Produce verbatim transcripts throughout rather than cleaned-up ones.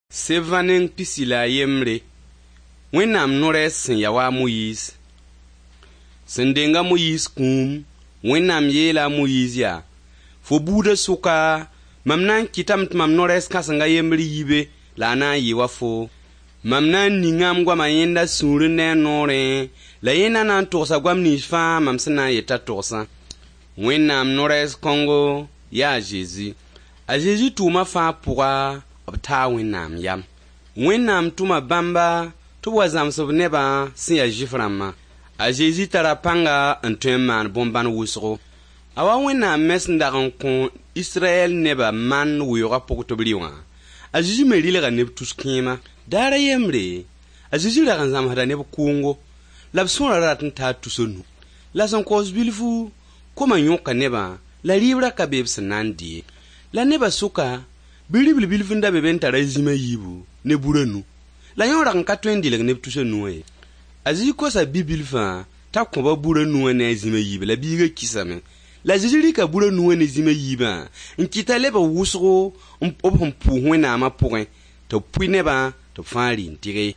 Sebã neng pisi la a yembre Wẽnnaam no-rɛɛs sẽn ya wa a Moyiis. Sẽn deng a Moyiis kũum, Wẽnnaam yeela a Moyiis yaa: Fo buudã sʋka, mam na n kɩtame tɩ mam no-rɛɛs kãseng a yembr yi be la a na n yɩ wa foo. Mam na n ninga m goama yẽnda sũurẽ ne a noorẽ, la yẽ na n togsa goam nins fãa mam sẽn na n yet t'a togsã. Wẽnnaam no-rɛɛs kãngo yaa a Zezi. A Zezi tʋʋma fãa pʋga, b taa Wẽnnaam yam. Wẽnnaam tʋma bãmba tɩ b wa zãms b nebã sẽn ya Zʋɩf rãmbã. A Zezi tara pãnga n tõe n maan bõn-bãn wʋsgo. A wa Wẽnnaam me sẽn dag n kõ Israyɛl nebã man weoogã pʋg tɩ b rɩ wã, a Zezi me rɩlga neb tus kẽema. Daar a yembre, a Zezi rag n zãmsda neb kʋʋngo, la b sõora rat n taa tus a nu. La sẽn kaoos bilfu, komã yõka nebã, la rɩɩb ra ka be b sẽn na n dɩ ye. La nebã sʋka, bi-ribl bilf n da be be n tar a zĩm a yiibu ne bur a nu. La yõ rag n ka tõe n dɩlg neb tus a nu wã ye. A Zezi kosa bi-bilfã t'a kõ-ba bur a nu wã ne a zĩm a yiibã la biigã kisame. La a Zezi rɩka bur a nu wã ne zĩm a yiibã n kɩt t'a lebg wʋsgo b sẽn pʋʋs Wẽnnaamã pʋgẽ tɩ b pʋɩ nebã tɩ b fãa rɩ n tɩge.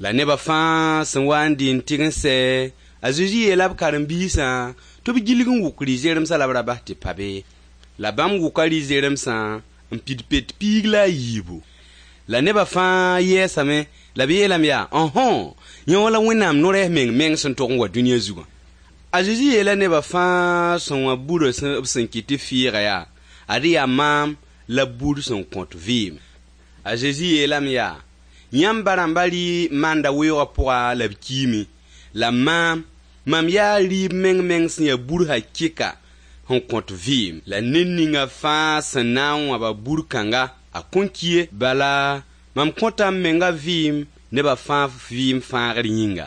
La nebã fãa sẽn wa n dɩ n tɩg n sɛ, a Zezi yeela b karen-biisã tɩ b gilg n wʋk rɩ-zeremsã la b ra bas tɩ pa be. La bãmb wʋka rɩ-zeremsã n pid pet piig la a yiibu. La nebã fãa yɛɛsame la b yeelame yaa: Ãhõ, yẽ wã la Wẽnnaam no-rɛɛs meng meng sẽn tog n wa dũniyã zugã. A Zezi yeela nebã fãa sẽn wã burã b sẽn kɩt tɩ fɩɩga yaa: Ad yaa maam la bur sẽn kõt vɩɩm. A Zezi yeelame yaa: Yãmb ba-rãmbã rɩ manda weoogã pʋga la b kiime. La maam, mam yaa rɩɩb meng meng sẽn ya bur hakɩka sẽn kõt vɩɩm. La ned ninga fãa sẽn na n wãba bur kãnga, a kõn ki ye. Bala, mam kõta m menga vɩɩm nebã fãa vɩɩm fãagr yĩnga.